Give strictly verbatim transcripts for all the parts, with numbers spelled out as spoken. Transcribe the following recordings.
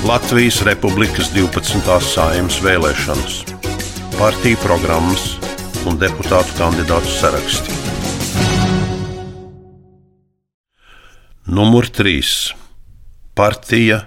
Latvijas Republikas divpadsmitās Saeimas vēlēšanas, partiju programmas un deputātu kandidātu saraksti. Numur trīs. Partija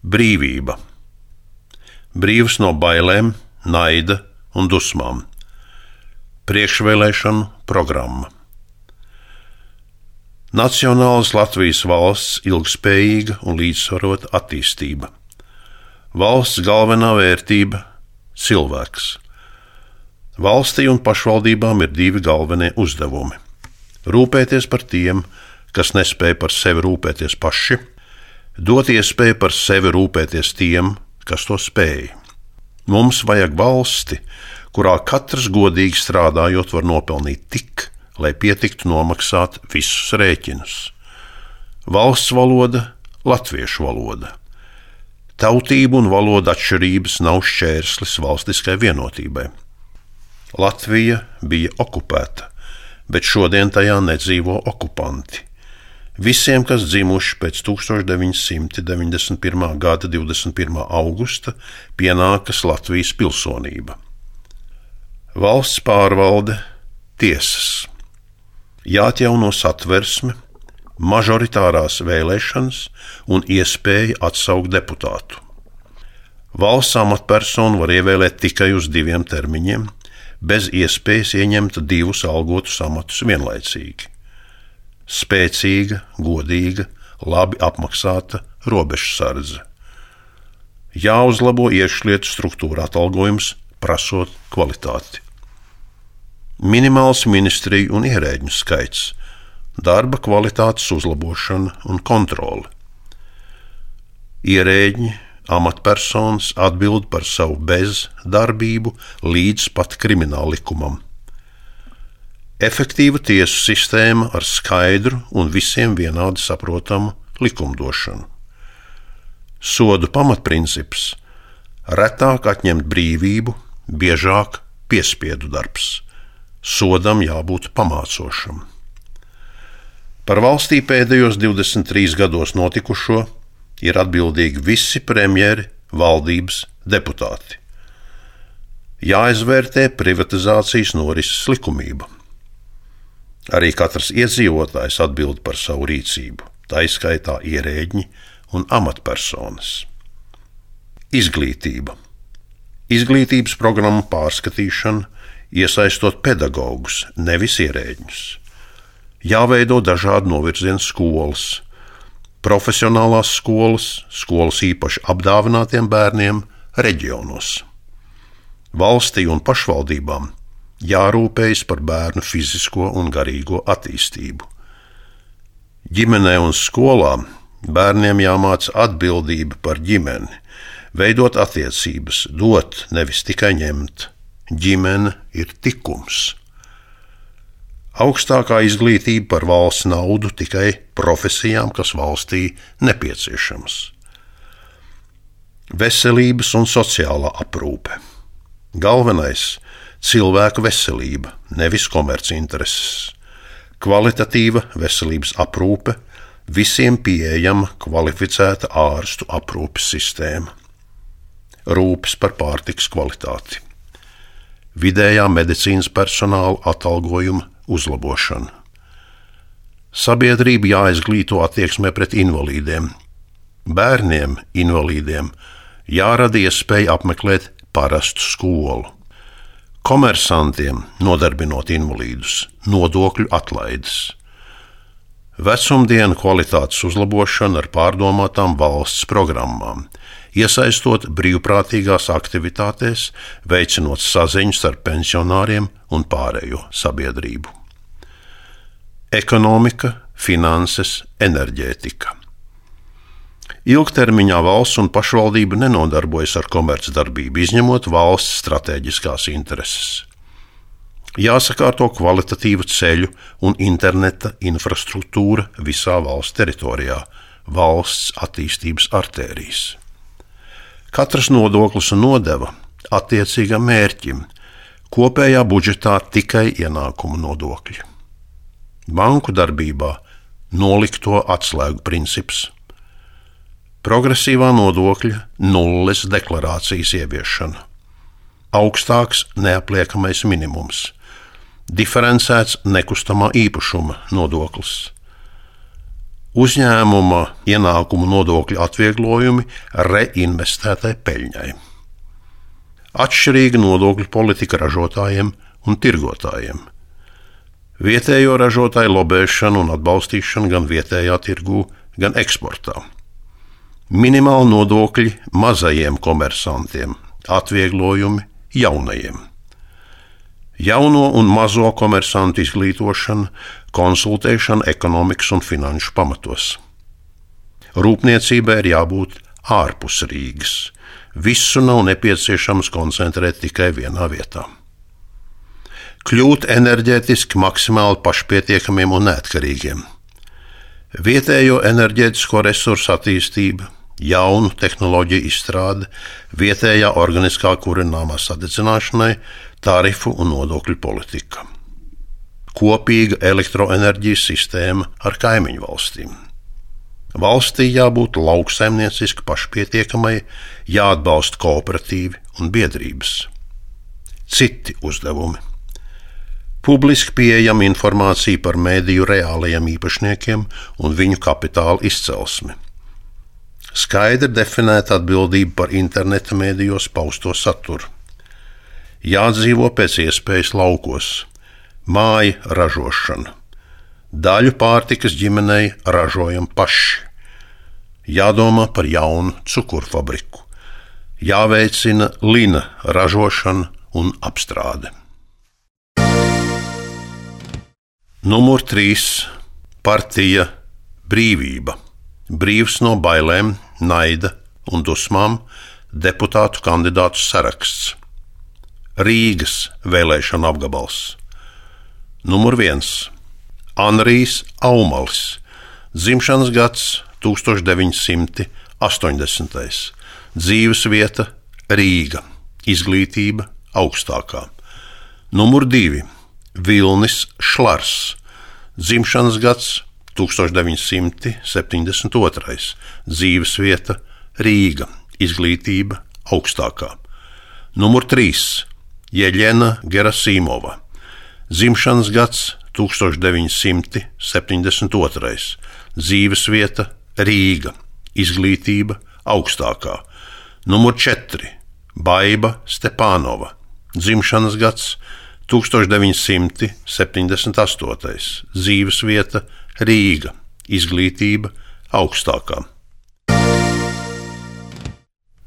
Brīvība. Brīvs no bailēm, naida un dusmām. Priekšvēlēšanu programma. Nacionālas Latvijas valsts ilgspējīga un līdzsvarota attīstība. Valsts galvenā vērtība – cilvēks. Valstī un pašvaldībām ir divi galvenie uzdevumi – rūpēties par tiem, kas nespēj par sevi rūpēties paši, dot iespēju par sevi rūpēties tiem, kas to spēj. Mums vajag valsti, kurā katrs godīgi strādājot var nopelnīt tik, lai pietiktu nomaksāt visus rēķinus. Valsts valoda – latviešu valoda. Tautību un valodu atšķirības nav šķērslis valstiskai vienotībai. Latvija bija okupēta, bet šodien tajā nedzīvo okupanti. Visiem, kas dzimuši pēc tūkstoš deviņi simti deviņdesmit pirmā gada divdesmit pirmā augusta, pienākas Latvijas pilsonība. Valsts pārvalde, tiesas. Jāatjauno satversme, mažoritārās vēlēšanas un iespēja atsaukt deputātu. Valsts amatpersonu var ievēlēt tikai uz diviem termiņiem, bez iespējas ieņemt divus algotus amatus vienlaicīgi. Spēcīga, godīga, labi apmaksāta robežsardze. Jāuzlabo iekšlietu struktūra atalgojums, prasot kvalitāti. Minimāls ministriju un ierēģņu skaits, darba kvalitātes uzlabošana un kontrole. Ierēģi, amatpersonas atbild par savu bezdarbību līdz pat krimināllikumam. Efektīva tiesu sistēma ar skaidru un visiem vienādi saprotamu likumdošanu. Sodu pamatprincips – retāk atņemt brīvību, biežāk piespiedu darbs. Sodam jābūt pamācošam. Par valstī pēdējos divdesmit trīs gados notikušo ir atbildīgi visi premjeri, valdības deputāti. Jāizvērtē privatizācijas norises likumība. Arī katrs iedzīvotājs atbild par savu rīcību, tā izskaitā ierēģi un amatpersonas. Izglītība. Izglītības programmu pārskatīšana, iesaistot pedagogus, nevis ierēģņus. Jāveido dažādu novirzienu skolas, profesionālās skolas, skolas īpaši apdāvinātiem bērniem reģionos. Valstī un pašvaldībām jārūpējas par bērnu fizisko un garīgo attīstību. Ģimenē un skolā bērniem jāmāca atbildība par ģimeni, veidot attiecības, dot, nevis tikai ņemt. Ģimene ir tikums. Augstākā izglītība par valsts naudu tikai profesijām, kas valstī nepieciešamas. Veselības un sociālā aprūpe. Galvenais – cilvēka veselība, nevis komercintereses. Kvalitatīva veselības aprūpe, visiem pieejama kvalificēta ārstu aprūpes sistēma. Rūpes par pārtikas kvalitāti. Vidējā medicīnas personāla atalgojuma uzlabošana. Sabiedrība jāizglīto attieksmē pret invalīdiem. Bērniem invalīdiem jārada iespēja apmeklēt parastu skolu. Komersantiem, nodarbinot invalīdus, nodokļu atlaides. Vecumdienu kvalitātes uzlabošana ar pārdomātām valsts programmām, iesaistot brīvprātīgās aktivitātēs, veicinot saziņu starp pensionāriem un pārējo sabiedrību. Ekonomika, finanses, enerģētika. Ilgtermiņā valsts un pašvaldība nenodarbojas ar komercdarbību, izņemot valsts stratēģiskās intereses. Jāsakārto kvalitatīva ceļu un interneta infrastruktūra visā valsts teritorijā, valsts attīstības artērijas. Katrs nodoklis un nodeva attiecīgam mērķim, kopējā budžetā tikai ienākumu nodokļi. Banku darbībā nolikto atslēgu princips. progresīvā nodokļa nulles deklarācijas ieviešana, augstāks neapliekamais minimums, diferencēts nekustamā īpašuma nodoklis, uzņēmuma ienākumu nodokļu atvieglojumi reinvestētai peļņai, atšķirīga nodokļu politika ražotājiem un tirgotājiem, vietējo ražotāju lobēšana un atbalstīšana gan vietējā tirgū, gan eksportā, minimāli nodokļi mazajiem komersantiem, atvieglojumi jaunajiem, jauno un mazo komersantu izglītošana, konsultēšana ekonomikas un finanšu pamatos. Rūpniecībai ir jābūt ārpus Rīgas. Visu nav nepieciešams koncentrēt tikai vienā vietā. Kļūt enerģētiski maksimāli pašpietiekamiem un neatkarīgiem. Vietējo enerģētisko resursu attīstība, jaunu tehnoloģiju izstrāde, vietējā organiskā kurināmā sadedzināšanai, tarifu un nodokļu politika. Kopīga elektroenerģijas sistēma ar kaimiņu valstīm. Valstī jābūt lauksaimnieciski pašpietiekamai, jāatbalsta kooperatīvi un biedrības. Citi uzdevumi. Publiski pieejama informācija par mediju reālajiem īpašniekiem un viņu kapitāla izcelsmi. Skaidri definēta atbildība par interneta medijos pausto saturu. Jādzīvo pēc iespējas laukos. Māja ražošana. Daļu pārtikas ģimenei ražojam paši. Jādomā par jaunu cukurfabriku. Jāveicina lina ražošana un apstrāde. Numur trīs. Partija Brīvība. Brīvs no bailēm, naida un dusmām deputātu kandidātu saraksts. Rīgas vēlēšana apgabals. Numur viens. Anrijs Aumalis. Dzimšanas gads tūkstoš deviņi simti astoņdesmitais. Dzīves vieta Rīga. Izglītība augstākā. Numur divi. Vilnis Šlars. Dzimšanas gads tūkstoš deviņi simti septiņdesmit otrais. Dzīves vieta Rīga. Izglītība augstākā. Numur trīs. Jeļena Gerasimova. Dzimšanas gads tūkstoš deviņi simti septiņdesmit otrais. Dzīves vieta Rīga. Izglītība augstākā. Numur četri. Baiba Stepānova. Dzimšanas gads tūkstoš deviņi simti septiņdesmit astotais. Dzīves vieta Rīga. Izglītība augstākā.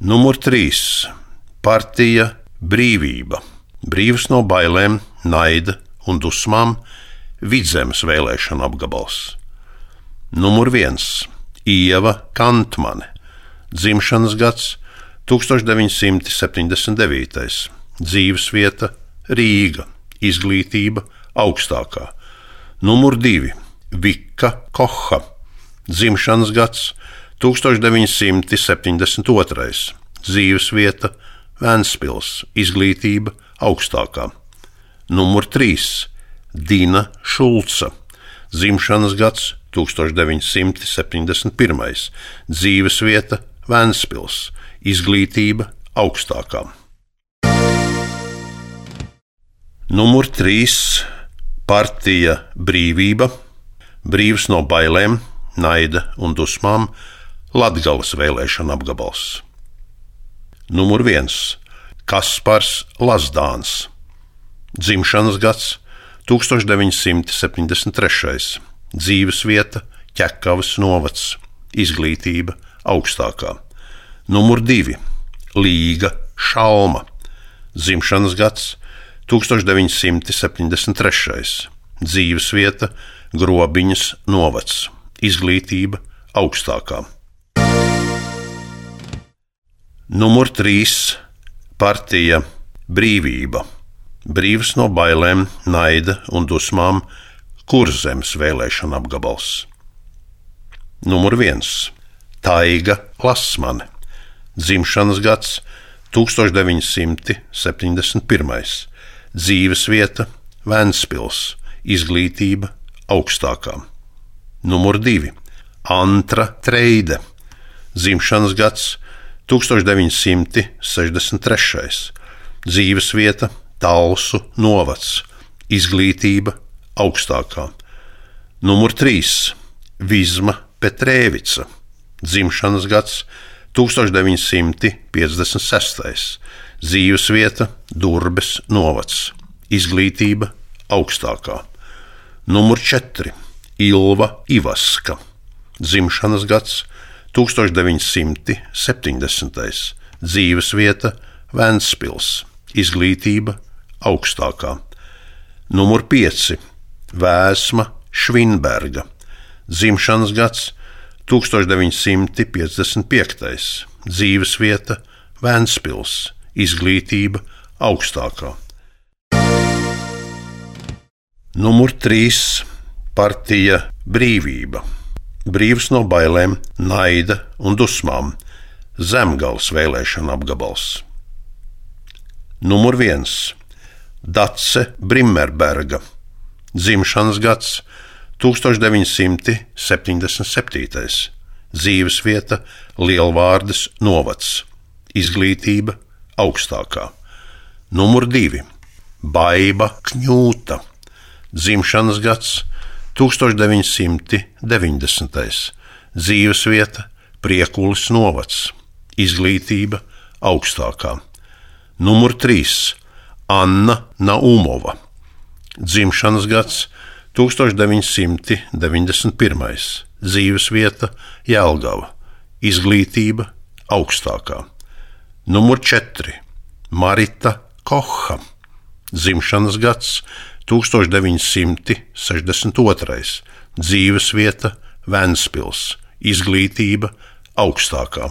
Numur trīs. Partija Brīvība. Brīvs no bailēm, naida un dusmām Vidzemes vēlēšana apgabals. Numur viens. Ieva Kantmane. Dzimšanas gads tūkstoš deviņi simti septiņdesmit devītais. Dzīves vieta Rīga. Izglītība augstākā. Numur divi. Vika Koha. Dzimšanas gads tūkstoš deviņi simti septiņdesmit otrais. Dzīves vieta Ventspils. Izglītība augstākā. Numur trīs. Dina Šulca. Dzimšanas gads tūkstoš deviņi simti septiņdesmit pirmais. Dzīves vieta Ventspils. Izglītība augstākā. Numur trīs. Partija Brīvība. Brīvs no bailēm, naida un dusmām Latgales vēlēšana apgabals. Numur viens. Kaspars Lazdāns. Dzimšanas gads tūkstoš deviņi simti septiņdesmit trešais. Dzīves vieta Ķekavas novads. Izglītība augstākā. Numur divi. Līga Šalma. Dzimšanas gads tūkstoš deviņi simti septiņdesmit trešais. Dzīves vieta Grobiņas novads. Izglītība augstākā. Numur trīs. Partija Brīvība. Brīvs no bailēm, naida un dusmām Kurzemes vēlēšana apgabals. Numur viens. Taiga Lasmane. Dzimšanas gads tūkstoš deviņi simti septiņdesmit pirmais. Dzīves vieta Ventspils. Izglītība augstākā. Numur divi. Antra Treide. dzimšanas gads tūkstoš deviņi simti sešdesmit trešais, dzīvesvieta Talsu novads, izglītība augstākā. Numur trīs Vizma Petrēvica, dzimšanas gads tūkstoš deviņi simti piecdesmit sestais, dzīvesvieta Durbes novads, izglītība augstākā. Numur četri Ilva Ivaska, dzimšanas gads tūkstoš deviņi simti septiņdesmitais, dzīvesvieta Ventspils, izglītība augstākā. Numur pieci Vēsma Švinberga, dzimšanas gads tūkstoš deviņi simti piecdesmit piektais, dzīvesvieta Ventspils, izglītība augstākā. Numur trīs Partija Brīvība, brīvs no bailēm, naida un dusmām, Zemgales vēlēšana apgabals. Numur viens Dace Brimmerberga, dzimšanas gads tūkstoš deviņi simti septiņdesmit septītais, dzīvesvieta Lielvārdes novads, izglītība augstākā. Numur divi Baiba Kņūta, dzimšanas gads tūkstoš deviņi simti deviņdesmitais, dzīvesvieta Priekulis novads, izglītība augstākā. Numur trīs Anna Naumova, dzimšanas gads tūkstoš deviņi simti deviņdesmit pirmais, dzīvesvieta Jelgava, izglītība augstākā. Numur četri Marita Koha, dzimšanas gads tūkstoš deviņi simti sešdesmit otrais, dzīvesvieta Ventspils, izglītība augstākā.